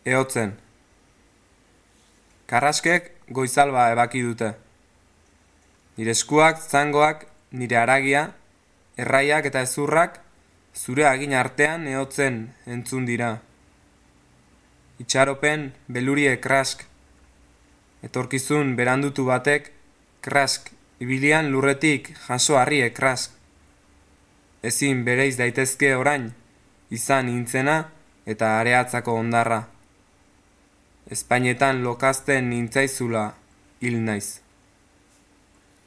Ehotzen. Karraskek goizalba ebaki dute. Nire eskuak, zangoak, nire haragia, erraiak eta ezurrak, zure hagin artean ehotzen entzun dira. Itxaropen belurie krask. Etorkizun berandutu batek krask, ibilian lurretik jaso harrie krask. Ezin bereiz daitezke orain, izan nintzena eta areatzako ondarra. Espainetan lokazten nintzaizula hil naiz.